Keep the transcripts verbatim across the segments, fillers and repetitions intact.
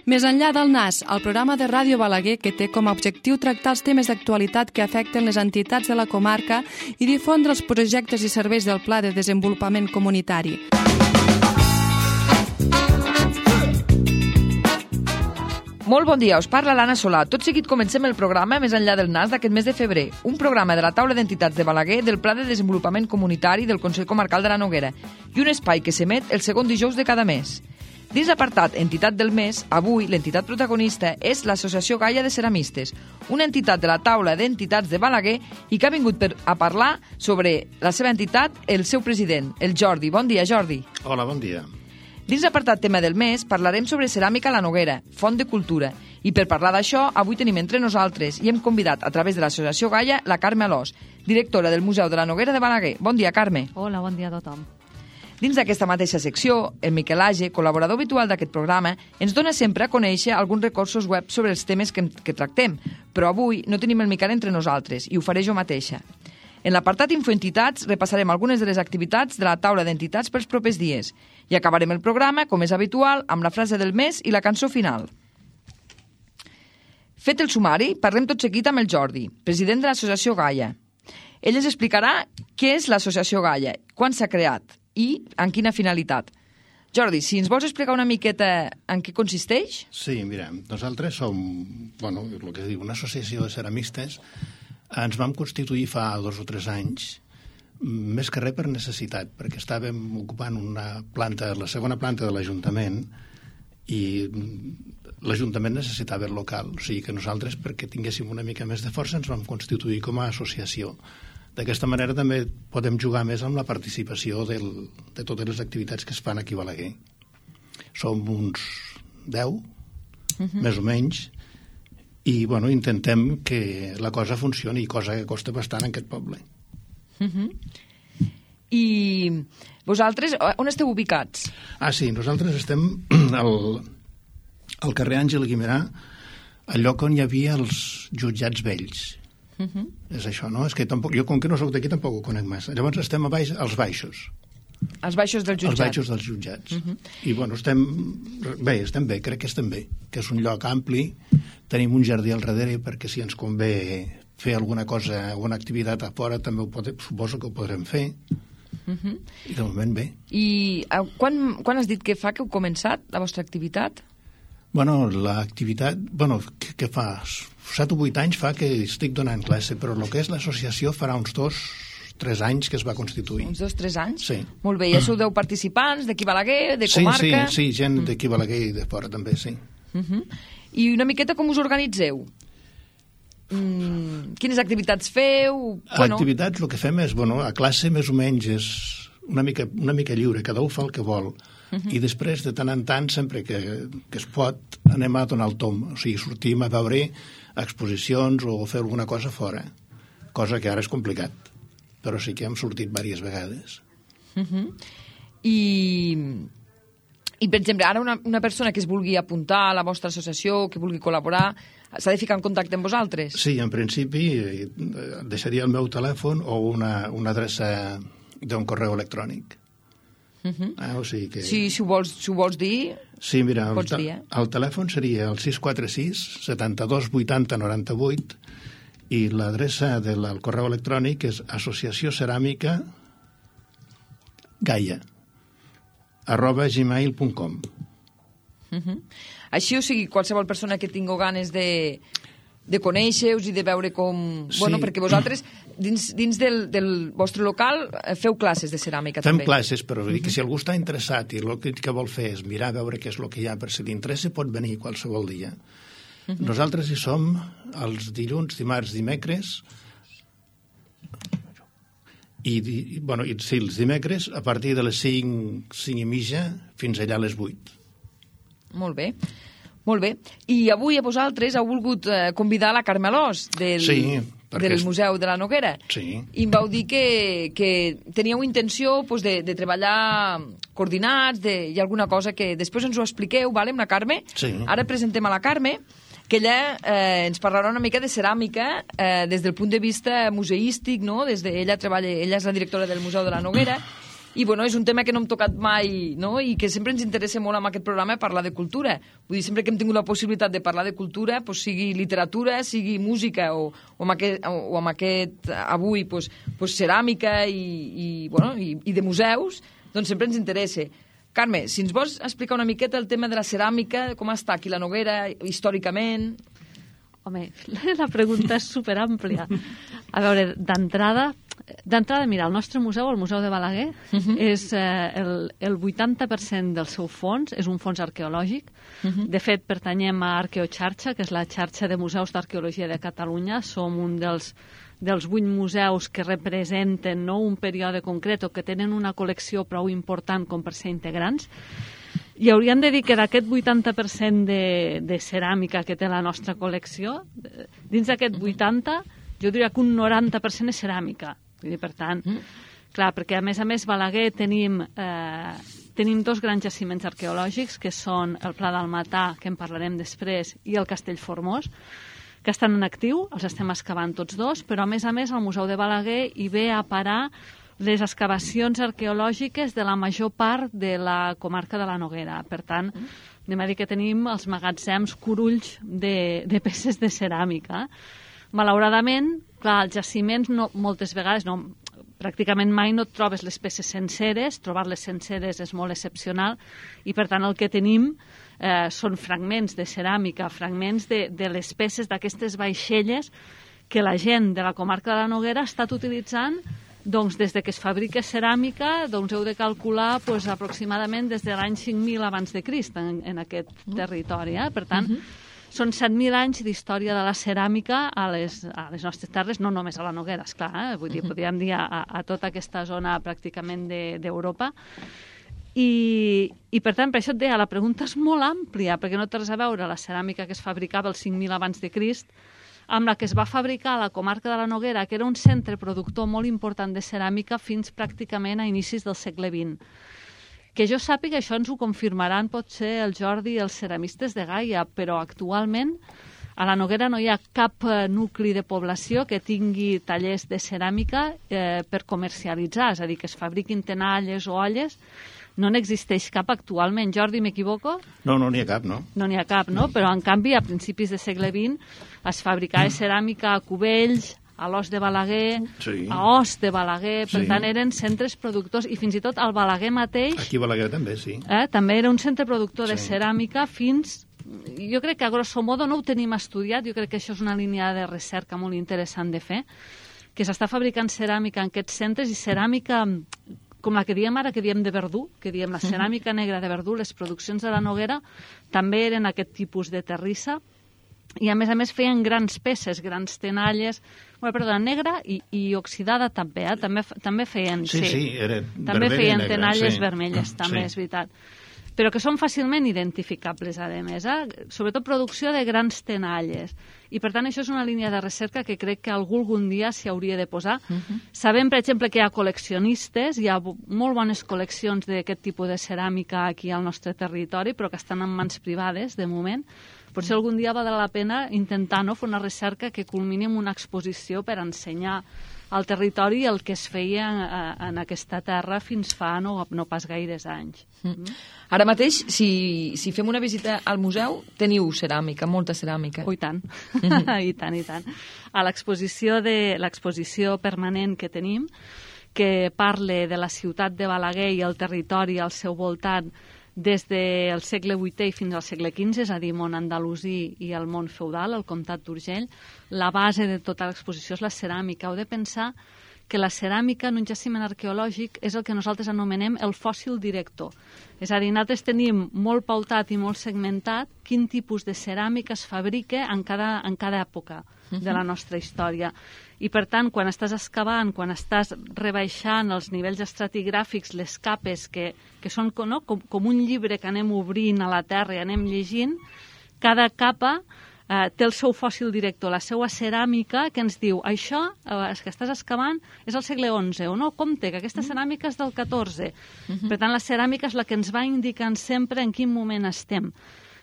Més enllà del Nas, el programa de Ràdio Balaguer que té com a objectiu tractar els temes d'actualitat que afecten les entitats de la comarca i difondre els projectes i serveis del Pla de Desenvolupament Comunitari. Molt bon dia, us parla l'Anna Solà. Tot seguit comencem el programa Més enllà del Nas d'aquest mes de febrer, un programa de la taula d'entitats de Balaguer del Pla de Desenvolupament Comunitari del Consell Comarcal de la Noguera i un espai que s'emet el segon dijous de cada mes. Dins l'apartat Entitat del Mes, avui l'entitat protagonista és l'Associació Gaia de Ceramistes, una entitat de la taula d'entitats de Balaguer i que ha vingut per a parlar sobre la seva entitat el seu president, el Jordi. Bon dia, Jordi. Hola, bon dia. Dins l'apartat tema del mes parlarem sobre ceràmica a la Noguera, font de cultura. I per parlar d'això, avui tenim entre nosaltres i hem convidat a través de l'Associació Gaia la Carme Alòs, directora del Museu de la Noguera de Balaguer. Bon dia, Carme. Hola, bon dia a tothom. Dins d'aquesta mateixa secció, el Miquel Age, col·laborador habitual d'aquest programa, ens dona sempre a conèixer alguns recursos web sobre els temes que, que tractem, però avui no tenim el Miquel entre nosaltres i ho faré jo mateixa. En l'apartat Infoentitats repassarem algunes de les activitats de la taula d'entitats pels propers dies i acabarem el programa, com és habitual, amb la frase del mes i la cançó final. Fet el sumari, parlem tot seguit amb el Jordi, president de l'Associació Gaia. Ell ens explicarà què és l'Associació Gaia, quan s'ha creat i en quina finalitat. Jordi, si ens vols explicar una miqueta en què consisteix? Sí, mira, nosaltres som, bueno, el que diu, una associació de ceramistes. Ens vam constituir fa dos o tres anys, més que res per necessitat, perquè estàvem ocupant una planta, la segona planta de l'Ajuntament, i l'Ajuntament necessitava el local. O sigui que nosaltres, perquè tinguéssim una mica més de força, ens vam constituir com a associació. D'aquesta manera també podem jugar més amb la participació del, de totes les activitats que es fan aquí a Balaguer. Som uns deu, uh-huh. més o menys, i bueno, intentem que la cosa funcioni, cosa que costa bastant en aquest poble. Uh-huh. I vosaltres, on esteu ubicats? Ah, sí, nosaltres estem al, al carrer Àngel Guimerà, al lloc on hi havia els jutjats vells. Uh-huh. És això, no? És que tampoc, jo, com que no soc d'aquí, tampoc ho conec massa. Llavors estem a baix, als baixos. Els baixos dels jutjats. Els baixos dels jutjats. Uh-huh. I, bueno, estem bé, estem bé, crec que estem bé, que és un lloc ampli, tenim un jardí al darrere perquè si ens convé fer alguna cosa, alguna activitat a fora, també ho podem, suposo que ho podrem fer. Uh-huh. I de moment bé. I uh, quan, quan has dit que fa que heu començat la vostra activitat? Bueno, l'activitat, bueno, què, què fa? set o vuit anys fa que estic donant classe, però el que és l'associació farà uns dos, tres anys que es va constituir. Uns dos, tres anys? Sí. Molt bé, i ja sou deu participants d'aquí Balaguer, de comarca? Sí, sí, sí, gent d'aquí Balaguer i de fora també, sí. Uh-huh. I una miqueta com us organitzeu? Mm, quines activitats feu? Bueno... Activitats, el que fem és, bueno, a classe més o menys és una mica, una mica lliure, cada un fa el que vol. Uh-huh. I després, de tant en tant, sempre que, que es pot, anem a donar el tom. O sigui, sortim a veure exposicions o fer alguna cosa fora. Cosa que ara és complicat. Però sí que hem sortit diverses vegades. Uh-huh. I, I, per exemple, ara una, una persona que es vulgui apuntar a la vostra associació, que vulgui col·laborar, s'ha de ficar en contacte amb vosaltres? Sí, en principi deixaria el meu telèfon o una, una adreça d'un correu electrònic. Uh-huh. Ah, o sigui que... Sí, si ho vols, si ho vols dir, sí, mira, pots el, dir, eh? El telèfon seria el sis quatre sis, setanta-dos, vuitanta, noranta-vuit i l'adreça del correu electrònic és associació ceràmica gaia arroba gmail punt com. Uh-huh. Així, o sigui, qualsevol persona que tingui ganes de, de conèixer-vos i de veure com... Sí. Bueno, perquè vosaltres, dins, dins del, del vostre local, feu classes de ceràmica Fem també. Fem classes, però uh-huh. que si algú està interessat i el que, que vol fer és mirar a veure què és el que hi ha, per si li interessa pot venir qualsevol dia. Uh-huh. Nosaltres hi som els dilluns, dimarts, dimecres i, i, bueno, i sí, els dimecres a partir de les cinc, cinc i mitja fins allà a les vuit. Molt bé, molt bé. I avui a vosaltres heu volgut eh, convidar la Carme Alòs del, sí, del és... Museu de la Noguera. Sí. I em vau dir que, que teníeu intenció pues, de, de treballar coordinats, de, hi ha alguna cosa que després ens ho expliqueu, vale, amb la Carme? Sí. Ara presentem a la Carme, que ella eh, ens parlarà una mica de ceràmica eh, des del punt de vista museístic, no? Des de, ella, treballa, ella és la directora del Museu de la Noguera I bueno, és un tema que no hem tocat mai, no? I que sempre ens interessa molt amb aquest programa parlar de cultura. Vull dir, sempre que hem tingut la possibilitat de parlar de cultura, pues, sigui literatura, sigui música o, o, amb, aquest, o amb aquest avui pues, pues, ceràmica i, i, bueno, i, i de museus, doncs sempre ens interessa. Carme, si ens vols explicar una miqueta el tema de la ceràmica, com està aquí la Noguera, històricament... Home, la pregunta és superàmplia. A veure, d'entrada, d'entrada, mira, el nostre museu, el Museu de Balaguer, uh -huh. és eh, el, el vuitanta per cent del seu fons, és un fons arqueològic. Uh -huh. De fet, pertanyem a Arqueoxarxa, que és la xarxa de museus d'arqueologia de Catalunya. Som un dels, dels vuit museus que representen, no, un període concret o que tenen una col·lecció prou important com per ser integrants. I hauríem de dir que d'aquest vuitanta per cent de, de ceràmica que té la nostra col·lecció, dins d'aquest vuitanta, jo diria que un noranta per cent és ceràmica. Vull dir, per tant, mm. clar, perquè a més a més Balaguer tenim, eh, tenim dos grans jaciments arqueològics, que són el Pla del Matà, que en parlarem després, i el Castell Formós, que estan en actiu, els estem excavant tots dos, però a més a més el Museu de Balaguer hi ve a parar les excavacions arqueològiques de la major part de la comarca de la Noguera. Per tant, anem a dir que tenim els magatzems curulls de, de peces de ceràmica. Malauradament, clar, els jaciments no, moltes vegades, no, pràcticament mai no et trobes les peces senceres, trobar-les senceres és molt excepcional, i per tant el que tenim eh, són fragments de ceràmica, fragments de, de les peces d'aquestes vaixelles que la gent de la comarca de la Noguera ha estat utilitzant. Doncs des de que es fabrica ceràmica, doncs heu de calcular pues, aproximadament des de l'any cinc mil abans de Crist en, en aquest territori. Eh? Per tant, uh -huh. són set mil anys d'història de la ceràmica a les, a les nostres terres, no només a la Noguera, esclar, eh? Vull dir, uh -huh. podríem dir a, a tota aquesta zona pràcticament d'Europa. De, I, I, per tant, per això et deia, la pregunta és molt àmplia, perquè no té res a veure la ceràmica que es fabricava el cinc mil abans de Crist amb la que es va fabricar a la comarca de la Noguera, que era un centre productor molt important de ceràmica fins pràcticament a inicis del segle vint. Que jo sàpiga, això ens ho confirmaran potser el Jordi i els ceramistes de Gaia, però actualment a la Noguera no hi ha cap nucli de població que tingui tallers de ceràmica eh, per comercialitzar, és a dir, que es fabriquin tenalles o olles. No n'existeix cap actualment. Jordi, m'equivoco? No, no n'hi ha cap, no. No n'hi ha cap, no? Però, en canvi, a principis del segle vint es fabricava ceràmica a Cubells, a l'Os de Balaguer, sí. a Os de Balaguer, per sí. tant, eren centres productors, i fins i tot el Balaguer mateix... Aquí a Balaguer també, sí. Eh, també era un centre productor sí. de ceràmica fins... Jo crec que, a grosso modo, no ho tenim estudiat, jo crec que això és una línia de recerca molt interessant de fer, que s'està fabricant ceràmica en aquests centres, i ceràmica... com la que diem ara, que diem de Verdú, que diem la ceràmica negra de Verdú, les produccions de la Noguera també eren aquest tipus de terrissa, i a més a més feien grans peces, grans tenalles, bueno, perdó, negra i, i oxidada també, eh? també, també feien... Sí, sí, sí era també feien negra, tenalles sí. vermelles, també, sí. és veritat. Però que són fàcilment identificables, a més, eh? Sobretot producció de grans tenalles. I, per tant, això és una línia de recerca que crec que algú algun dia s'hi hauria de posar. Uh -huh. Sabem, per exemple, que hi ha col·leccionistes, hi ha molt bones col·leccions d'aquest tipus de ceràmica aquí al nostre territori, però que estan en mans privades, de moment. Potser algun dia valdrà la pena intentar no, fer una recerca que culmini en una exposició per ensenyar al territori el que es feia en aquesta terra fins fa no, no pas gaires anys. Mm. Ara mateix, si, si fem una visita al museu, teniu ceràmica, molta ceràmica. Oh, i tant, mm-hmm. i tant, i tant. A l'exposició de l'exposició permanent que tenim, que parla de la ciutat de Balaguer i el territori al seu voltant des del segle vuitè fins al segle quinze, és a dir, món andalusí i el món feudal, el comtat d'Urgell, la base de tota l'exposició és la ceràmica. Heu de pensar que la ceràmica en un jaciment arqueològic és el que nosaltres anomenem el fòssil director. És a dir, nosaltres tenim molt pautat i molt segmentat quin tipus de ceràmica es fabrica en cada, en cada època de la nostra història. I, per tant, quan estàs excavant, quan estàs rebaixant els nivells estratigràfics, les capes, que, que són no? com, com un llibre que anem obrint a la terra i anem llegint, cada capa eh, té el seu fòssil director, la seva ceràmica, que ens diu, això eh, que estàs excavant és el segle onze, o no, compte, que aquesta ceràmica és del catorze. Uh-huh. Per tant, la ceràmica és la que ens va indicant sempre en quin moment estem.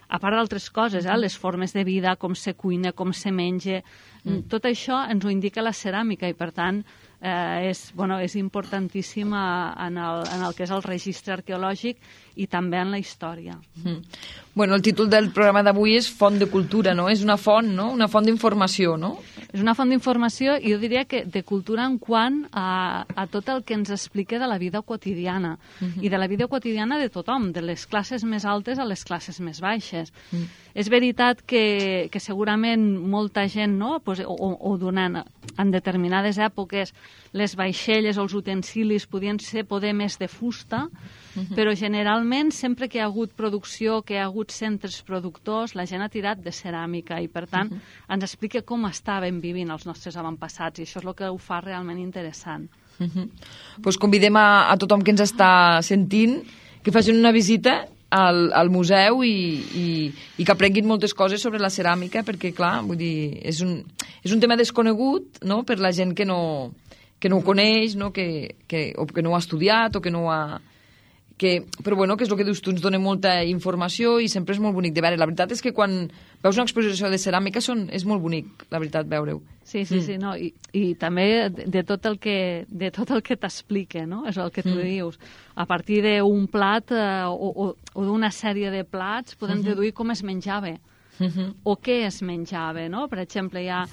a part d'altres coses, eh? Les formes de vida, com se cuina, com se menja, mm. tot això ens ho indica la ceràmica i, per tant, eh, és, bueno, és importantíssim en el, en el que és el registre arqueològic i també en la història. Mm. Bueno, el títol del programa d'avui és Font de Cultura, no? És una font, no? Una font d'informació, no? És una font d'informació i jo diria que de cultura en quant a, a tot el que ens explica de la vida quotidiana uh-huh. i de la vida quotidiana de tothom, de les classes més altes a les classes més baixes. Uh-huh. És veritat que, que segurament molta gent, no? Pues, o, o donant en determinades èpoques les vaixelles o els utensilis podien ser poder més de fusta, uh-huh. però generalment sempre que hi ha hagut producció, que hi ha hagut centres productors, la gent ha tirat de ceràmica i, per tant, uh-huh. ens explica com estaven vivint els nostres avantpassats i això és el que ho fa realment interessant. Uh-huh. Pues convidem a, a tothom que ens està sentint que facin una visita al, al museu i, i, i que aprenguin moltes coses sobre la ceràmica perquè, clar, vull dir, és un, és un tema desconegut, no?, per la gent que no, que no ho coneix, no?, que, que, o que no ho ha estudiat o que no ho ha... Que, però bueno, que és el que dius tu, ens dona molta informació i sempre és molt bonic de veure. La veritat és que quan veus una exposició de ceràmica són, és molt bonic, la veritat, veure-ho. Sí, sí, mm. sí, no, i, i també de, de tot el que, de tot el que t'explica, no? És el que tu mm. dius. A partir d'un plat eh, o, o, o d'una sèrie de plats podem mm-hmm. deduir com es menjava. Mm-hmm. O què es menjava, no? Per exemple, hi ha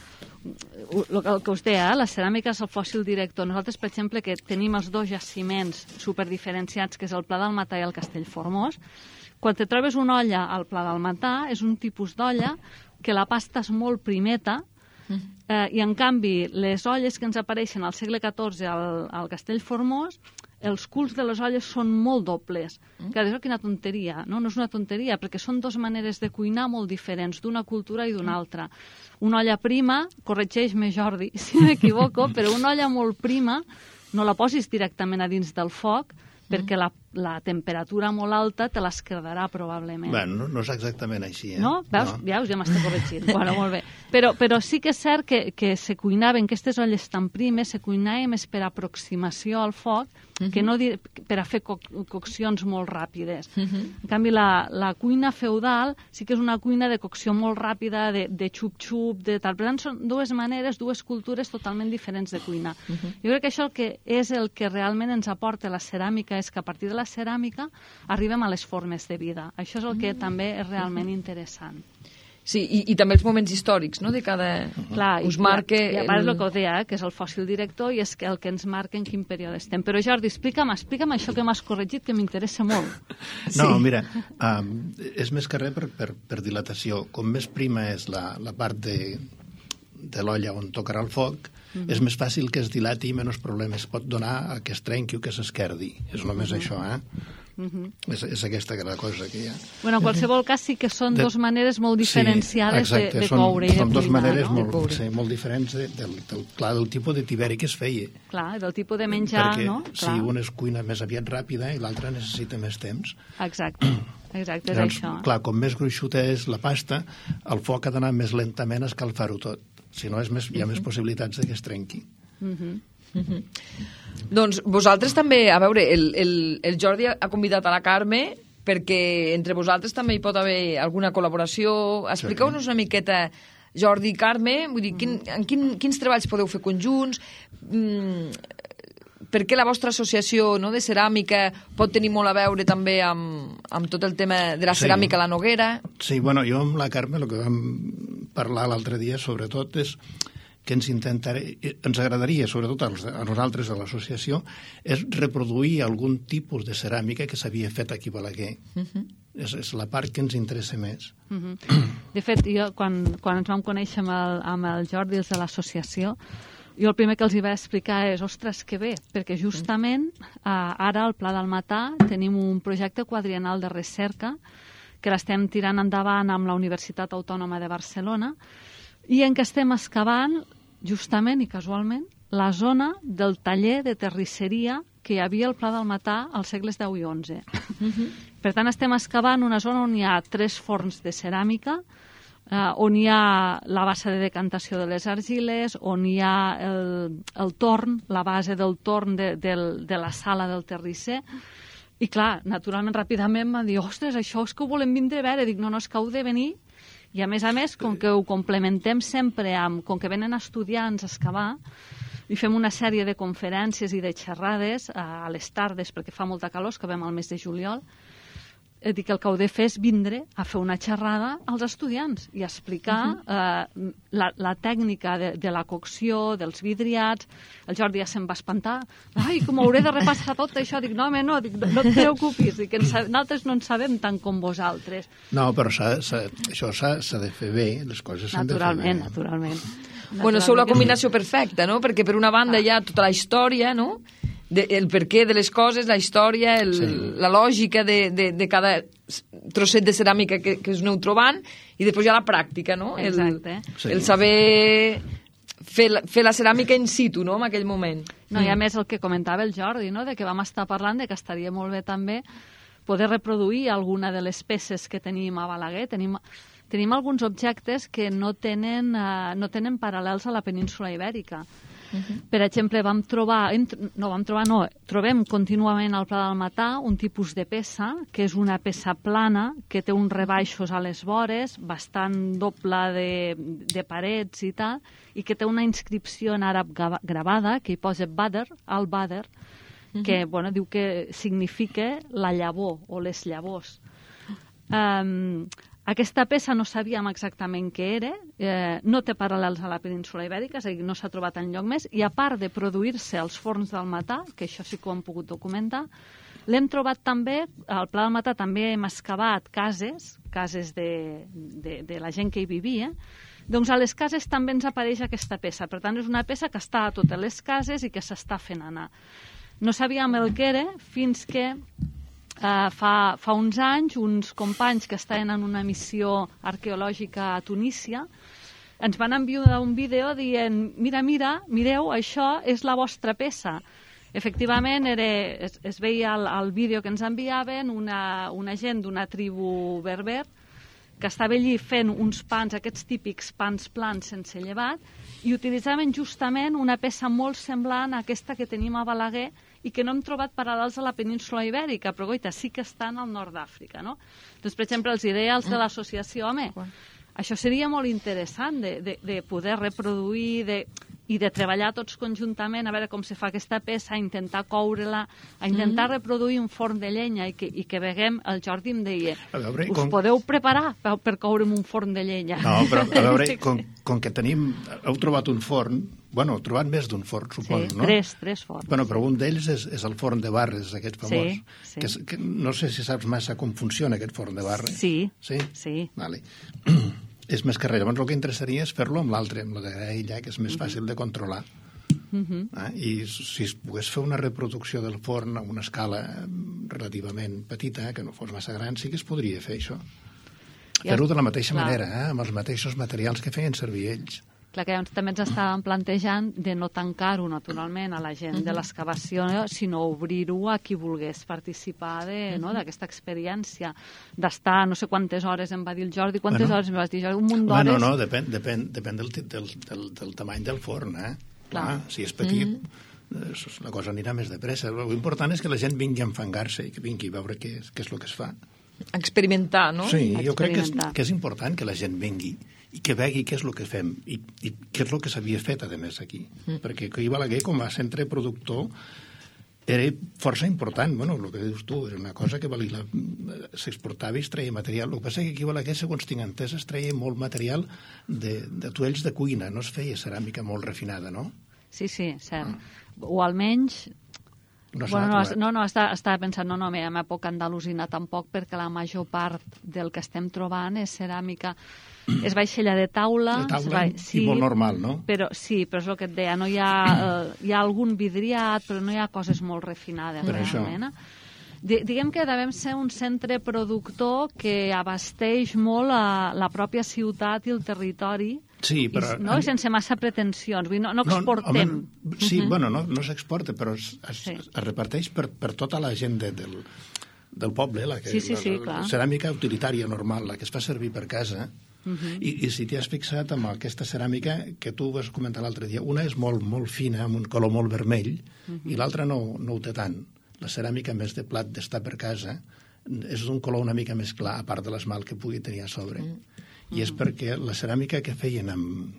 el que us deia, eh? La ceràmica és el fòssil director. Nosaltres, per exemple, que tenim els dos jaciments superdiferenciats, que és el Pla del Matà i el Castell Formós, quan te trobes una olla al Pla del Matà, és un tipus d'olla que la pasta és molt primeta, eh, i en canvi les olles que ens apareixen al segle catorze al, al Castell Formós, els culs de les olles són molt dobles. Mm. Que és quina tonteria, no? No és una tonteria, perquè són dues maneres de cuinar molt diferents, d'una cultura i d'una altra. Una olla prima, corregeix-me Jordi si m'equivoco, però una olla molt prima no la posis directament a dins del foc, perquè la, la temperatura molt alta te l'esquerdarà probablement. Bueno, no, no és exactament així, eh? No? Veus? No. Veus? Ja m'està corregint. Bueno, molt bé. Però, però sí que és cert que, que se cuinaven, aquestes olles tan primes, se cuinaven més per aproximació al foc, uh-huh. que no di- per a fer co- coccions molt ràpides. Uh-huh. En canvi, la, la cuina feudal sí que és una cuina de cocció molt ràpida, de, de xup-xup, de tal. Per tant, són dues maneres, dues cultures totalment diferents de cuinar. Uh-huh. Jo crec que això el que és el que realment ens aporta la ceràmica és que a partir de la ceràmica arribem a les formes de vida. Això és el que mm. també és realment interessant. Sí, i, i també els moments històrics, no?, de cada... Clar, us marca... I, i a part el... el que ho deia, eh, que és el fòssil director i és que el que ens marca en quin període estem. Però Jordi, explica'm, explica'm això que m'has corregit, que m'interessa molt. No, sí. Mira, um, és més que res per, per, per dilatació. Com més prima és la, la part de, de l'olla on tocarà el foc, mm-hmm. és més fàcil que es dilati i menys problemes pot donar a que es trenqui o que s'esquerdi. És només mm-hmm. això, eh? Mm-hmm. És, és aquesta la cosa que hi ha. Bueno, en qualsevol cas sí que són de... dues maneres molt diferenciades sí, exacte, de, de són, coure i de són dues cuinar, maneres no? molt, sí, molt diferents de, del, del, clar, del tipus de tiberi que es feia. Clar, del tipus de menjar, perquè, no? Perquè si una es cuina més aviat ràpida i l'altra necessita més temps. Exacte, exacte, és doncs, això. Clar, com més gruixuta és la pasta, el foc ha d'anar més lentament a escalfar-ho tot. Si no, és més, hi ha uh-huh. més possibilitats de que es trenqui. Uh-huh. Uh-huh. Doncs vosaltres també, a veure, el, el, el Jordi ha convidat a la Carme perquè entre vosaltres també hi pot haver alguna col·laboració. Expliqueu-nos una miqueta, Jordi i Carme, vull dir, quin, en quin, quins treballs podeu fer conjunts, mm, per què la vostra associació, no, de ceràmica pot tenir molt a veure també amb, amb tot el tema de la ceràmica sí. a la Noguera? Sí, bueno, jo amb la Carme el que vam parlar l'altre dia sobretot és que ens intentaré, ens agradaria, sobretot als, a nosaltres, a l'associació, és reproduir algun tipus de ceràmica que s'havia fet aquí a Balaguer. Uh-huh. És, és la part que ens interessa més. Uh-huh. De fet, jo, quan, quan ens vam conèixer amb el, amb el Jordi, els de l'associació, jo el primer que els hi vaig explicar és, ostres, que bé, perquè justament eh, ara al Pla del Matà tenim un projecte quadriennal de recerca que l'estem tirant endavant amb la Universitat Autònoma de Barcelona i en què estem excavant, justament i casualment, la zona del taller de terrisseria que hi havia al Pla del Matà als segles deu i onze. Uh-huh. Per tant, estem excavant una zona on hi ha tres forns de ceràmica, eh, on hi ha la bassa de decantació de les argiles, on hi ha el, el torn, la base del torn de, del, de la sala del terrisser, I clar, naturalment, ràpidament em van dir, ostres, això és que ho volem vindre a veure. Dic, no, no, és que heu de venir. I a més a més, com que ho complementem sempre amb, com que venen estudiants a excavar, i fem una sèrie de conferències i de xerrades a les tardes, perquè fa molta calor, que vam al mes de juliol, eh, dic que el que heu de fer és vindre a fer una xerrada als estudiants i explicar uh-huh. eh, la, la tècnica de, de la cocció, dels vidriats. El Jordi ja se'n va espantar. Ai, com hauré de repassar tot això? Dic, no, home, no, dic, no et preocupis, dic, que nosaltres no en sabem tant com vosaltres. No, però s'ha, s'ha, això s'ha de fer bé, les coses s'han de fer bé. Naturalment, naturalment. Bueno, sou la combinació perfecta, no? Perquè per una banda hi ha tota la història, no? De, el perquè de les coses, la història, el, sí. la lògica de, de, de cada trosset de ceràmica que, que us aneu trobant, i després hi ha la pràctica, no? El, Exacte. Sí. El saber fer la, fer la ceràmica in situ, no?, en aquell moment. No, i a més el que comentava el Jordi, no?, de que vam estar parlant de que estaria molt bé també poder reproduir alguna de les peces que tenim a Balaguer. Tenim, tenim alguns objectes que no tenen, uh, no tenen paral·lels a la península Ibèrica. Uh-huh. Per exemple, vam trobar, no vam trobar, no, trobem contínuament al Pla del Matà un tipus de peça, que és una peça plana, que té uns rebaixos a les vores, bastant doble de, de parets i tal, i que té una inscripció en àrab gravada, que hi posa Badr, al-Badr, uh-huh. que bueno, diu que significa la llavor o les llavors. Um, Aquesta peça no sabíem exactament què era, eh, no té paral·lels a la península Ibèrica, és a dir, no s'ha trobat enlloc més, i a part de produir-se als forns del Matà, que això sí que ho hem pogut documentar, l'hem trobat també, al Pla del Matà també hem excavat cases, cases de, de, de la gent que hi vivia, doncs a les cases també ens apareix aquesta peça. Per tant, és una peça que està a totes les cases i que s'està fent anar. No sabíem el que era fins que Uh, fa, fa uns anys, uns companys que estaven en una missió arqueològica a Tunísia ens van enviar un vídeo dient mira, mira, mireu, això és la vostra peça. Efectivament, era, es, es veia al, al vídeo que ens enviaven una, una gent d'una tribu berber que estava allí fent uns pans, aquests típics pans plans sense llevat, i utilitzaven justament una peça molt semblant a aquesta que tenim a Balaguer i que no hem trobat paral·lels a la península Ibèrica, però goita, sí que estan al nord d'Àfrica, no? Doncs, per exemple, els ideals de l'associació, home, això seria molt interessant de, de, de poder reproduir de, i de treballar tots conjuntament a veure com se fa aquesta peça, a intentar coure-la, a intentar mm-hmm. reproduir un forn de llenya i que, i que veguem, el Jordi em deia, veure, us com... podeu preparar per, per coure'm un forn de llenya? No, però a veure, com, com que tenim, heu trobat un forn, bueno, heu trobat més d'un forn, suposo, sí, no? tres, tres forns. Bueno, però un d'ells és, és el forn de Barres, aquest famós. Sí, sí. Que, és, que no sé si saps massa com funciona aquest forn de Barres. Sí, sí. sí. Vale. És més que res. Llavors el que interessaria és fer-lo amb l'altre, amb la de Graella, que és més uh-huh. fàcil de controlar. Uh-huh. Ah, i si es pogués fer una reproducció del forn a una escala relativament petita, que no fos massa gran, sí que es podria fer això. Fer-ho de la mateixa Clar. manera, eh? Amb els mateixos materials que feien servir ells. Clar, que llavors també ens estàvem plantejant de no tancar-ho naturalment a la gent de l'excavació, sinó obrir-ho a qui volgués participar d'aquesta experiència, d'estar no sé quantes hores, em va dir el Jordi, quantes bueno, hores em vas dir, Jordi? Un munt d'hores? Bueno, no, depèn, depèn, depèn del, del, del, del tamany del forn, eh? Clar. Clar, si és petit, mm-hmm. la cosa anirà més de pressa. L'important és que la gent vingui a enfangar-se i que vingui a veure què és, què és el que es fa. Experimentar, no? Sí, jo crec que és, que és important que la gent vingui i que vegi què és el que fem i, i què és el que s'havia fet, a més, aquí. Mm. Perquè aquí a Balaguer, com a centre productor, era força important. Bueno, el que dius tu, era una cosa que valia, s'exportava i es treia material. El que passa és que aquí a Balaguer, segons tinc entès, es treia molt material de, de tuells de cuina, no es feia ceràmica molt refinada, no? Sí, sí, cert. Mm. O almenys... No, bueno, no, no, no estava, estava pensant, no, no, a la meva època andalusina tampoc, perquè la major part del que estem trobant és ceràmica, és vaixella de taula, de taula va, sí, i molt normal, no? Però, sí, però és el que et deia, no hi ha, eh, hi ha algun vidriat, però no hi ha coses molt refinades, per realment. Això. Diguem que devem ser un centre productor que abasteix molt a la pròpia ciutat i el territori, sí, però... I, no? I sense massa pretensions, vull dir, no, no exportem. No, home, sí, uh-huh. bueno, no, no s'exporta, però es, es, sí. es reparteix per, per tota la gent de, del, del poble, la, que, sí, sí, sí, la, la ceràmica utilitària normal, la que es fa servir per casa. Uh-huh. I, I si t'hi has fixat amb aquesta ceràmica que tu vas comentar l'altre dia, una és molt, molt fina, amb un color molt vermell, uh-huh. i l'altra no, no ho té tant. La ceràmica, més de plat d'estar per casa, és d'un color una mica més clar, a part de l'esmalt que pugui tenir a sobre. Mm. I és perquè la ceràmica que feien amb...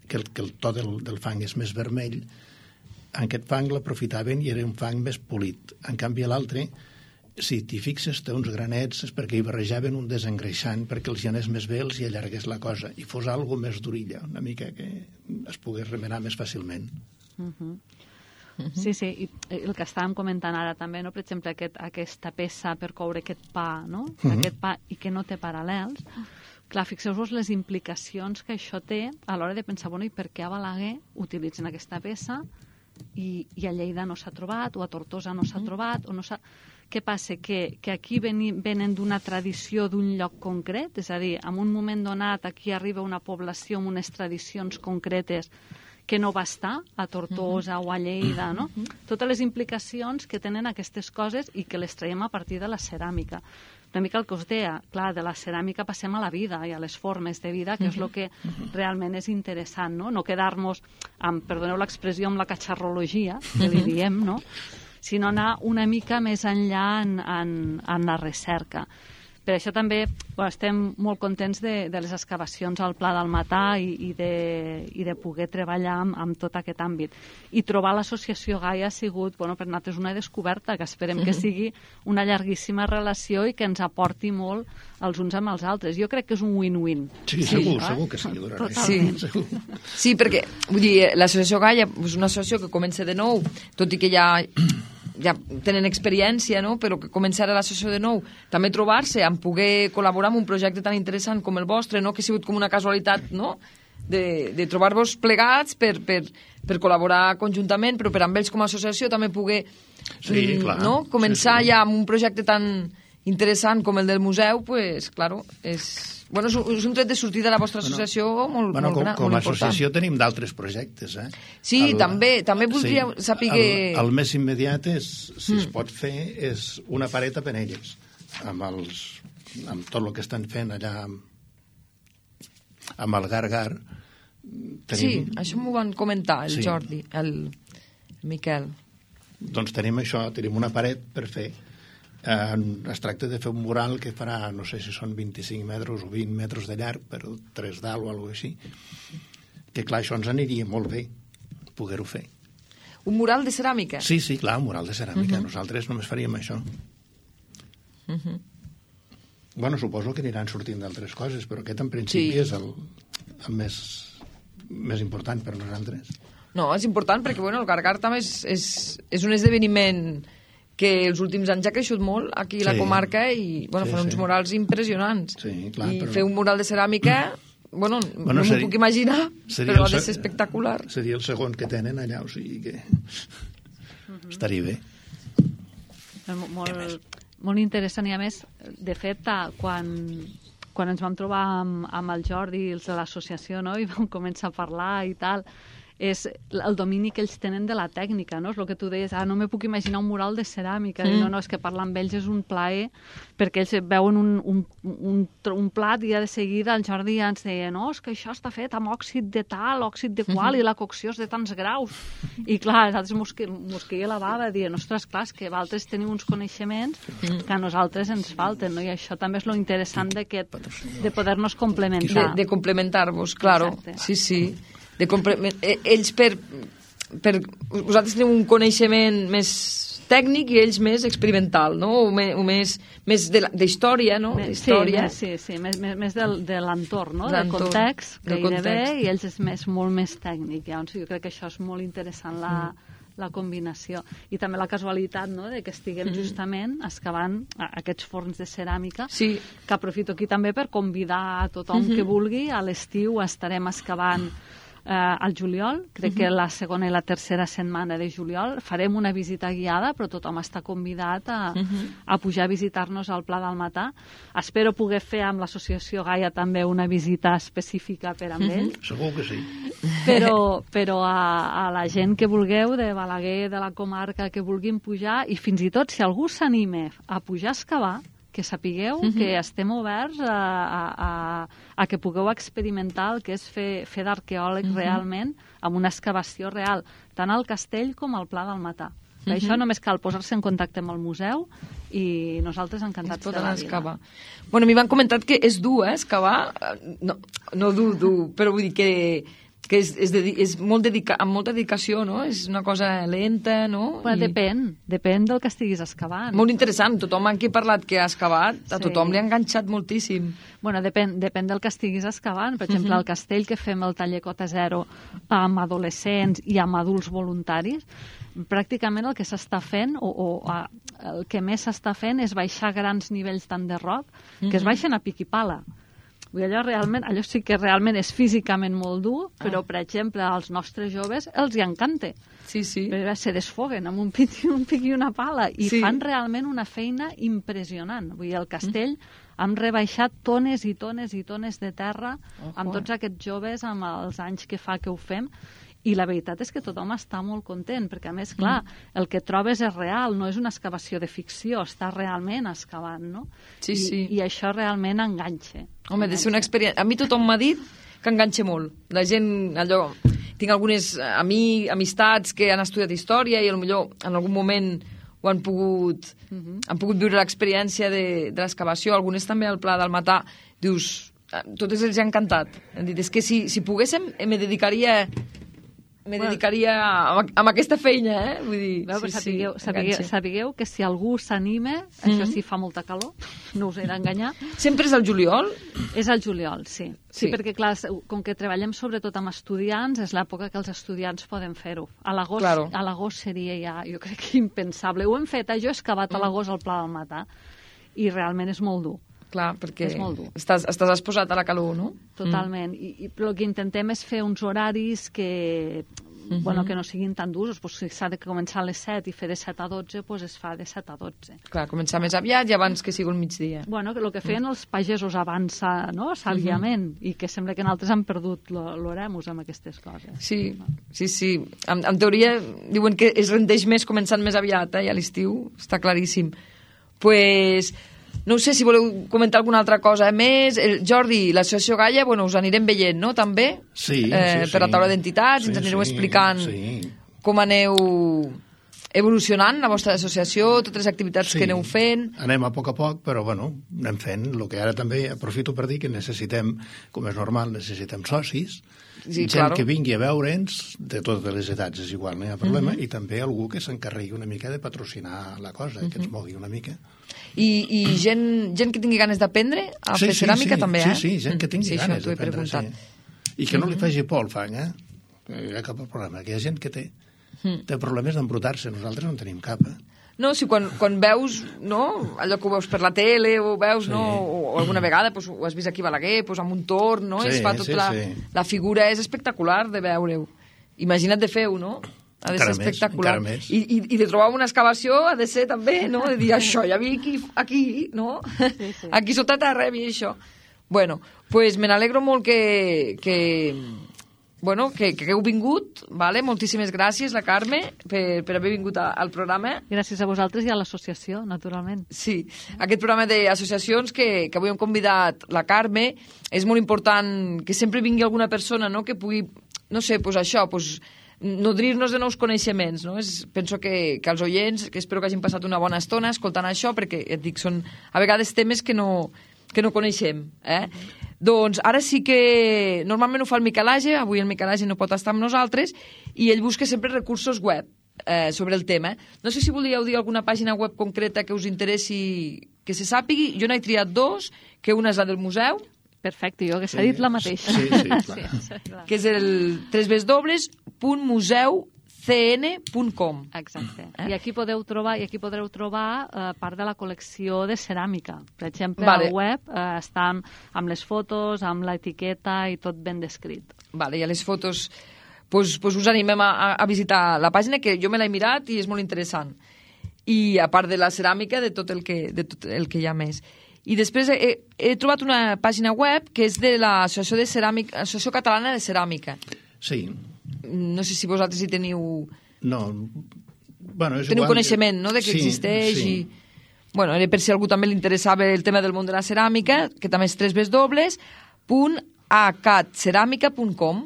que el, que el to del, del fang és més vermell, en aquest fang l'aprofitaven i era un fang més polit. En canvi, l'altre, si t'hi fixes, té uns granets, és perquè hi barrejaven un desengreixant perquè els hi anés més bé, els hi allargués la cosa, i fos algo més durilla, una mica que es pogués remenar més fàcilment. Uh -huh. Sí, sí, i el que estàvem comentant ara també, no? Per exemple, aquest, aquesta peça per coure aquest pa, no? Uh -huh. Aquest pa, i que no té paral·lels. Clar, fixeu-vos les implicacions que això té a l'hora de pensar, bueno, i per què a Balaguer utilitzen aquesta peça i, i a Lleida no s'ha trobat, o a Tortosa no s'ha trobat, o no s'ha... Què passa? Que, que aquí veni, venen d'una tradició d'un lloc concret? És a dir, en un moment donat aquí arriba una població amb unes tradicions concretes que no va estar a Tortosa uh-huh. o a Lleida, no? Uh-huh. Totes les implicacions que tenen aquestes coses i que les traiem a partir de la ceràmica. Una mica el que us deia, clar, de la ceràmica passem a la vida i a les formes de vida, que uh-huh. és el que uh-huh. realment és interessant, no? No quedar-nos, amb, perdoneu l'expressió, amb la catxarrologia, que li diem, no? Sinó anar una mica més enllà en, en, en la recerca. Per això també bueno, estem molt contents de, de les excavacions al Pla del Matà i, i, de, i de poder treballar amb, amb tot aquest àmbit. I trobar l'associació Gaia ha sigut, bueno, per nosaltres una descoberta, que esperem que sigui una llarguíssima relació i que ens aporti molt els uns amb els altres. Jo crec que és un win-win. Sí, segur, sí, segur que sí. Sí. sí, perquè vull dir, l'associació Gaia és una associació que comença de nou, tot i que ja... ja tenen experiència, no? Però que començar a l'associació de nou, també trobar-se en poder col·laborar en un projecte tan interessant com el vostre, no? Que ha sigut com una casualitat, no? De, de trobar-vos plegats per, per, per col·laborar conjuntament, però per amb ells com a associació també poder sí, clar. no? començar sí, sí. ja amb un projecte tan interessant com el del museu, pues, claro, és... Bueno, és un tret de sortida de la vostra associació bueno, molt, bueno, molt com, gran, com molt a associació important. tenim d'altres projectes, eh? Sí, el, també, també voldria sí, saber que... El, el més immediat és, si mm. es pot fer, és una paret a Penelles, amb, els, amb tot el que estan fent allà amb, amb el Gar-Gar. Tenim... Sí, això m'ho van comentar el sí. Jordi, el, el Miquel. Doncs tenim això, tenim una paret per fer. Eh, es tracta de fer un mural que farà, no sé si són vint-i-cinc metres o vint metres de llarg, però tres dalt o alguna cosa així. Que clar, això ens aniria molt bé, poder-ho fer. Un mural de ceràmica? Sí, sí, clar, un mural de ceràmica. Uh -huh. Nosaltres només faríem això. Uh -huh. Bueno, suposo que aniran sortint d'altres coses, però aquest en principi sí. és el, el més, més important per nosaltres. No, és important perquè bueno, el Gar-Gar també és, és, és un esdeveniment que els últims anys ha creixut molt aquí a la sí. comarca i bueno, sí, fan uns sí. murals impressionants. Sí, clar, I però... fer un mural de ceràmica, bueno, bueno no seria, m'ho puc imaginar, però ha de ser espectacular. Seria el segon que tenen allà, o sigui que uh-huh. estaria bé. Molt, molt interessant i a més, de fet, quan, quan ens vam trobar amb, amb el Jordi i els de l'associació, no? I vam començar a parlar i tal, és el domini que ells tenen de la tècnica, no? És el que tu deies, ah, no me puc imaginar un mural de ceràmica. Mm. No, no, és que parlar amb ells és un plaer, perquè ells veuen un, un, un, un plat i ja de seguida el Jordi ja ens deia, no, és que això està fet amb òxid de tal, òxid de qual, mm-hmm. i la cocció és de tants graus. I clar, a nosaltres mos, mos queia la bava, dient, ostres, clar, és que vosaltres teniu uns coneixements mm. que a nosaltres ens falten, no? I això també és lo interessant de, que, de poder-nos complementar. De, de complementar-vos, claro. Exacte. Sí, sí. De ells per, per... Vosaltres teniu un coneixement més tècnic i ells més experimental, no? O més, o més, més d'història, no? Sí, més, sí, sí, més, més, més del, de l'entorn, no? Del context, gairebé, i ells és més, molt més tècnic. Llavors, jo crec que això és molt interessant, la, mm. la combinació. I també la casualitat, no?, de que estiguem mm. justament excavant aquests forns de ceràmica, sí. que aprofito aquí també per convidar a tothom mm-hmm. que vulgui. A l'estiu estarem excavant Eh, al juliol, crec uh-huh. que la segona i la tercera setmana de juliol farem una visita guiada, però tothom està convidat a, uh-huh. a pujar a visitar-nos al Pla del Matà. Espero poder fer amb l'associació Gaia també una visita específica per amb uh-huh. ells. Segur que sí. Però, però a, a la gent que vulgueu, de Balaguer, de la comarca, que vulguin pujar, i fins i tot si algú s'anima a pujar a excavar, que sapigueu uh-huh. que estem oberts a, a, a, a que pugueu experimentar el que és fer, fer d'arqueòleg uh-huh. realment, amb una excavació real, tant al castell com al Pla del Matà. Per això només cal posar-se en contacte amb el museu i nosaltres encantats de la vida. Excavar. Bueno, m'hi van comentat que és dur, eh, excavar. No, no dur, dur, però vull dir que que és, és, de, és molt dedica, amb molta dedicació, no? És una cosa lenta, no? Bueno, I... depèn, depèn del que estiguis excavant. Molt interessant, tothom amb qui he parlat que ha excavat, a Sí. tothom li ha enganxat moltíssim. Bueno, depèn, depèn del que estiguis excavant. Per exemple, al castell que fem el taller Cota Zero amb adolescents i amb adults voluntaris, pràcticament el que s'està fent, o, o a, el que més s'està fent és baixar grans nivells tant de roc, que es baixen a pic i pala. Vull dir, allò, realment, allò sí que realment és físicament molt dur, però, per exemple, als nostres joves els hi encanta. Sí, sí. Però se desfoguen amb un pic, un pic i una pala i Sí. fan realment una feina impressionant. Vull dir, el castell hem rebaixat tones i tones i tones de terra amb tots aquests joves, amb els anys que fa que ho fem, i la veritat és que tothom està molt content, perquè a més, clar, el que trobes és real, no és una excavació de ficció, està realment excavant, no? Sí, I, sí. I això realment enganxa. Home, ha de ser una experiència... A mi tothom m'ha dit que enganxa molt. La gent, allò... Tinc algunes ami, amistats que han estudiat història i potser en algun moment ho han pogut, uh-huh. han pogut viure l'experiència de, de l'excavació. Algunes també al Pla del Matà. Dius, a totes els ha encantat. Han dit, és que si, si poguéssim, me dedicaria... me Bueno. dedicaria a, a aquesta feina, eh? Vull dir, Veu, sí, sapigueu, sí, sapigueu, enganxa. sapigueu que si algú s'anima, això sí fa molta calor, no us he d'enganyar, Sempre és el juliol? és el juliol, sí. sí. Sí. Sí, perquè clar, com que treballem sobretot amb estudiants, és l'època que els estudiants poden fer-ho. A l'agost Claro. a l'agost seria ja, jo crec que impensable. Ho hem fet, eh? Jo he excavat a l'agost al Pla del Matà i realment és molt dur. Clar, perquè És molt dur. estàs, estàs exposat a la calor, no? Totalment. I, i, però el que intentem és fer uns horaris que, uh-huh. bueno, que no siguin tan durs. Pues, si s'ha de començar a les set i fer de set a dotze, pues es fa de set a dotze. Clar, començar més aviat i abans que sigui el migdia. Bueno, que el que feien els pagesos abans, no? Sàviament, uh-huh. i que sembla que nosaltres han perdut l'oremus amb aquestes coses. Sí, sí, sí. En, en teoria diuen que es rendeix més començant més aviat, eh? I a l'estiu està claríssim. Pues... No sé si voleu comentar alguna altra cosa més. El Jordi, l'associació Gaia, bueno, us anirem veient, no?, també? Sí, eh, sí, Per la sí. taula d'entitats, Sí, ens anireu sí, explicant sí. com aneu evolucionant la vostra associació, totes les activitats Sí. que aneu fent. Anem a poc a poc, però bueno, anem fent. El que ara també aprofito per dir que necessitem, com és normal, necessitem socis, Sí, gent claro. que vingui a veure'ns, de totes les edats és igual, no hi ha problema, Mhm. i també algú que s'encarregui una mica de patrocinar la cosa, que ens mogui una mica. I, i gent, gent que tingui ganes d'aprendre a fer ceràmica sí, també, sí, eh? Sí, gent que tingui sí, ganes això t'ho he d'aprendre, preguntat. sí. I que no li faci por el fang, eh? No hi ha cap problema, que hi ha gent que té, té problemes d'embrutar-se, nosaltres no en tenim cap, eh? No, si quan, quan veus, no, allò que ho veus per la tele, o veus, Sí. no, o, o alguna vegada pues, ho has vist aquí a Balaguer, pues, amb un torn, no? Sí, Es fa tot sí, la, sí. la figura és espectacular de veure-ho. Imagina't de fer-ho, no? Ha de Encara ser més, espectacular. encara més. I, i, I de trobar una excavació ha de ser també, no? De dir, això ja vi aquí, aquí no? Sí, sí. Aquí sota terra vi això. Bueno, pues me n'alegro molt que... que bueno, que, que heu vingut, vale? Moltíssimes gràcies, la Carme, per, per haver vingut a, al programa. Gràcies a vosaltres i a l'associació, naturalment. Sí, aquest programa d'associacions que, que avui hem convidat la Carme, és molt important que sempre vingui alguna persona, no?, que pugui, no sé, pues això, pues, nodrir-nos de nous coneixements, no? És, penso que, que els oients, que espero que hagin passat una bona estona escoltant això, perquè, et dic, són a vegades temes que no, que no coneixem, eh? Mm-hmm. Doncs ara sí que normalment ho fa el Miquel Age, avui el Miquel Age no pot estar amb nosaltres, i ell busca sempre recursos web eh, sobre el tema. No sé si volíeu dir alguna pàgina web concreta que us interessi que se sàpigui. Jo n'he triat dos, que una és la del museu, Perfecte, jo que s'ha Sí, dit la mateixa. sí, sí, clar. sí, clar. que és el w w w punt museu c n punt com. Exacte. Eh? I aquí podeu trobar, i aquí podreu trobar eh, part de la col·lecció de ceràmica. Per exemple, Vale. al web eh, està amb, amb les fotos, amb l'etiqueta i tot ben descrit. Vale, i a les fotos pues, pues us animem a, a visitar la pàgina, que jo me l'he mirat i és molt interessant. I a part de la ceràmica, de tot el que, de tot el que hi ha més. I després he, he trobat una pàgina web que és de l'Associació de Ceràmica, Associació Catalana de Ceràmica. Sí. No sé si vosaltres hi teniu, No, bueno, és teniu igual. coneixement, no?, de que Sí, existeix sí. i... Bueno, era per si a algú també li interessava el tema del món de la ceràmica, que també és w w w punt a c a t ceràmica punt com.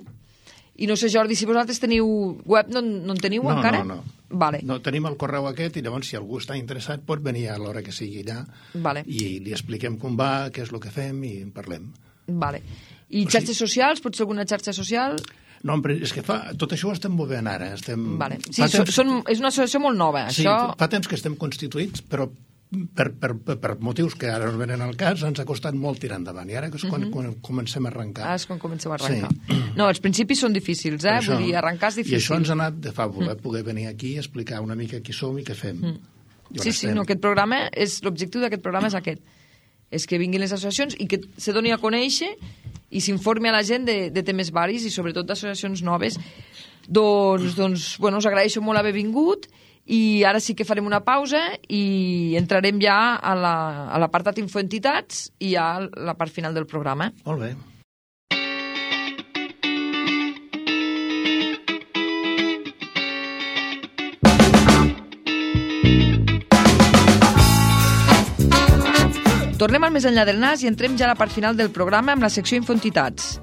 I no sé, Jordi, si vosaltres teniu web, no, no en teniu No, encara? no, no. Vale. No, tenim el correu aquest i llavors si algú està interessat pot venir a l'hora que sigui allà vale. i li expliquem com va, què és el que fem i en parlem. Vale. I xarxes socials? Potser alguna xarxa social? No, però és que fa, tot això ho estem movent ara. Estem, vale. Sí, temps, són, és una associació molt nova. Sí, això... fa temps que estem constituïts, però per, per, per motius que ara no venen al cas, ens ha costat molt tirar endavant. I ara és quan, uh-huh. quan comencem a arrencar. Ah, és quan comencem a arrencar. Sí. No, els principis són difícils, eh? Això, Vull dir, arrencar és difícil. I això ens ha anat de fàbula, mm. poder venir aquí i explicar una mica qui som i què fem. Mm. Sí, sí, no, aquest programa, és l'objectiu d'aquest programa és aquest. És que vinguin les associacions i que se doni a conèixer i s'informi a la gent de, de temes varis i sobretot d'associacions noves. Doncs, doncs, bueno, us agraeixo molt haver vingut i ara sí que farem una pausa i entrarem ja a la, a l'apartat infoentitats i a la part final del programa. Molt bé. Tornem al Més enllà del nas i entrem ja a la part final del programa amb la secció Infoentitats.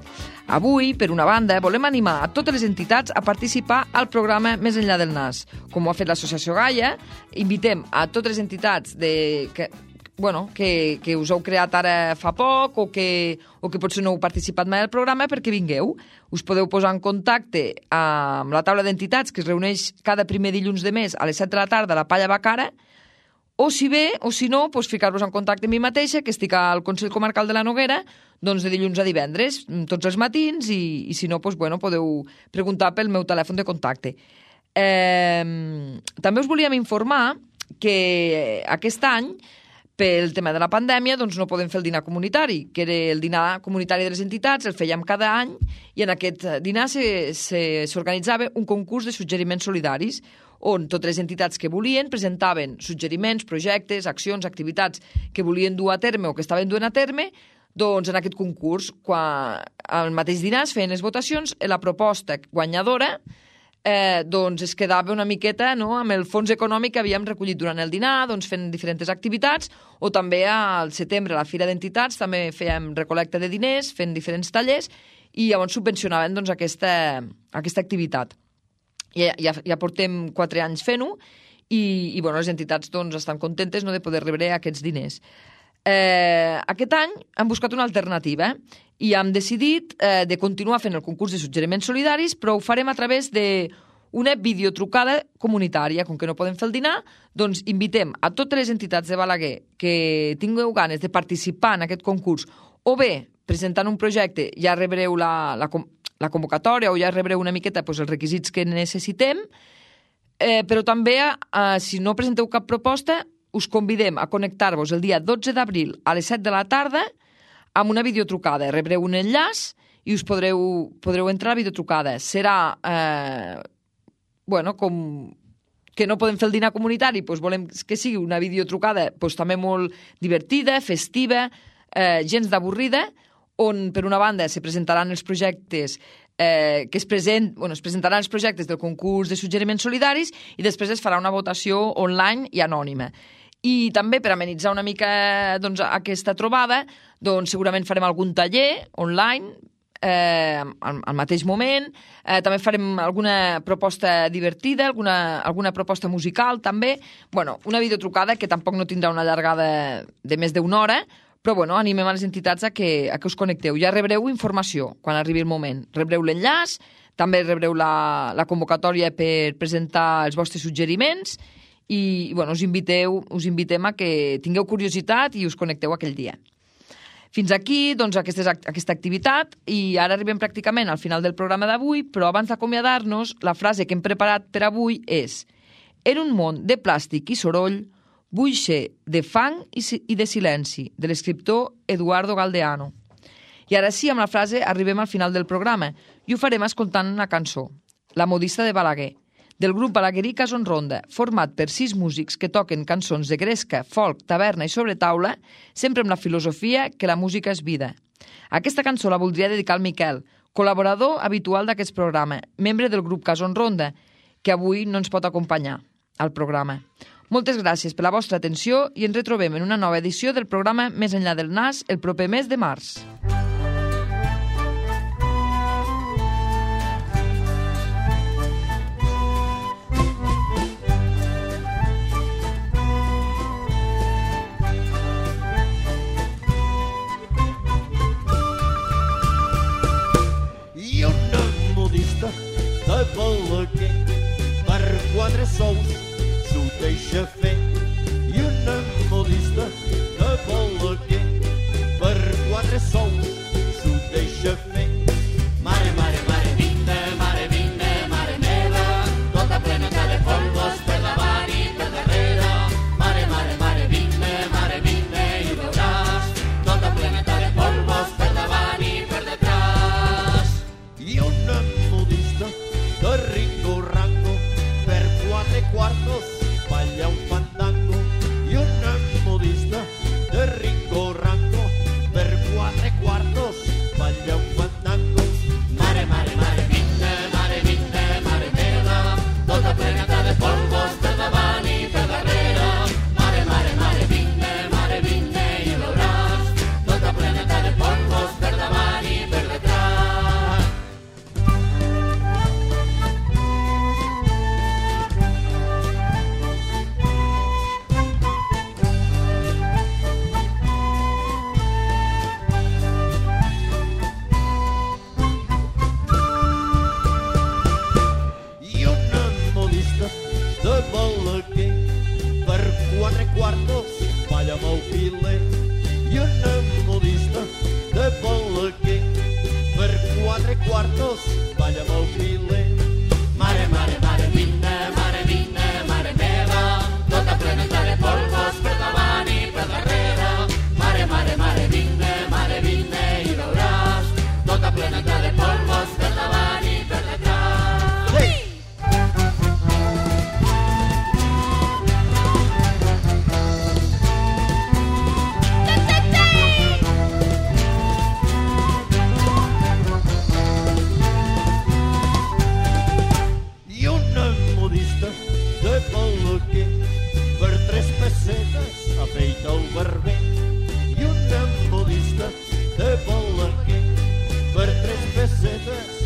Avui, per una banda, volem animar a totes les entitats a participar al programa Més enllà del nas. Com ho ha fet l'Associació Gaia, invitem a totes les entitats de, que, bueno, que, que us heu creat ara fa poc o que, o que potser no heu participat mai al programa perquè vingueu. Us podeu posar en contacte amb la taula d'entitats que es reuneix cada primer dilluns de mes a les set de la tarda a la Palla Bacara. O si bé, o si no, doncs ficar-vos en contacte amb mi mateixa, que estic al Consell Comarcal de la Noguera, doncs de dilluns a divendres, tots els matins, i, i si no, doncs, bueno, podeu preguntar pel meu telèfon de contacte. Eh, també us volíem informar que aquest any, pel tema de la pandèmia, doncs no podem fer el dinar comunitari, que era el dinar comunitari de les entitats, el fèiem cada any, i en aquest dinar s'organitzava un concurs de suggeriments solidaris, on totes les entitats que volien presentaven suggeriments, projectes, accions, activitats que volien dur a terme o que estaven duent a terme, doncs en aquest concurs, quan al mateix dinar es feien les votacions, la proposta guanyadora eh, doncs es quedava una miqueta, no?, amb el fons econòmic que havíem recollit durant el dinar, doncs fent diferents activitats, o també al setembre, a la Fira d'Entitats, també fèiem recolecta de diners, fent diferents tallers, i llavors subvencionaven doncs, aquesta, aquesta activitat. Ja, ja, ja portem quatre anys fent-ho i, i bueno, les entitats doncs, estan contentes, no?, de poder rebre aquests diners. Eh, aquest any hem buscat una alternativa i hem decidit eh, de continuar fent el concurs de suggeriments solidaris, però ho farem a través d'una videotrucada comunitària. Com que no podem fer el dinar, doncs invitem a totes les entitats de Balaguer que tingueu ganes de participar en aquest concurs o bé presentant un projecte ja rebreu la, la, la convocatòria o ja rebreu una miqueta doncs, els requisits que necessitem, eh, però també, eh, si no presenteu cap proposta, us convidem a connectar-vos el dia dotze d'abril a les set de la tarda amb una videotrucada. Rebreu un enllaç i us podreu, podreu entrar a la videotrucada. Serà, eh, bueno, com que no podem fer el dinar comunitari, doncs volem que sigui una videotrucada doncs, també molt divertida, festiva, eh, gens d'avorrida, on, per una banda, se presentaran els projectes eh, que es, present, bueno, es presentaran els projectes del concurs de suggeriments solidaris i després es farà una votació online i anònima. I també, per amenitzar una mica doncs, aquesta trobada, doncs, segurament farem algun taller online eh, al, al mateix moment. Eh, també farem alguna proposta divertida, alguna, alguna proposta musical, també. Bueno, una videotrucada que tampoc no tindrà una llargada de més d'una hora, però bueno, animem a les entitats a que, a que us connecteu. Ja rebreu informació quan arribi el moment. Rebreu l'enllaç, també rebreu la, la convocatòria per presentar els vostres suggeriments i bueno, us, inviteu, us invitem a que tingueu curiositat i us connecteu aquell dia. Fins aquí, doncs, aquesta, aquesta activitat i ara arribem pràcticament al final del programa d'avui, però abans d'acomiadar-nos, la frase que hem preparat per avui és: en un món de plàstic i soroll, vull ser de fang i de silenci, de l'escriptor Eduardo Galdeano. I ara sí, amb la frase arribem al final del programa i ho farem escoltant una cançó, La modista de Balaguer, del grup balaguerí Cason Ronda, format per sis músics que toquen cançons de gresca, folk, taverna i sobretaula, sempre amb la filosofia que la música és vida. Aquesta cançó la voldria dedicar al Miquel, col·laborador habitual d'aquest programa, membre del grup Cason Ronda, que avui no ens pot acompanyar al programa. Moltes gràcies per la vostra atenció i ens retrobem en una nova edició del programa Més enllà del nas el proper mes de març. sous s'ho deixa fer i una modista de Balaguer per quatre sous s'ho deixa fer. Mare, mare, mare, vine, mare, vine, mare meva, tota pleneta de polvos per davant i per darrere. Mare, mare, mare, vine, mare, vine i veuràs tota pleneta de polvos per davant i per detrás. I una modista de Ringo Rango per quatre quartos balla un fandango. I una modista de Ringo Rango per quatre quartos balla un fandango. Mare, mare, mare, vine, mare, vine, mare meva, tota pleneta de polvos per davant i per darrere. Mare, mare, mare, vine, mare, vine i veuràs tota pleneta de polvos per davant i per detrás. I una modista de Balaguer per quatre quartos balla amb el filer. I una modista de Balaguer per quatre quartos balla amb el filer. Mare, mare, mare, vine, mare, vine, mare meva, tota pleneta de polvos per davant i per darrere. Mare, mare, mare, vine, mare, vine i veuràs tota pleneta de polvos per davant i per detrás. Hey! I una modista de Balaguer per tres pessetes afeita el barber. I una modista de Balaguer per tres pessetes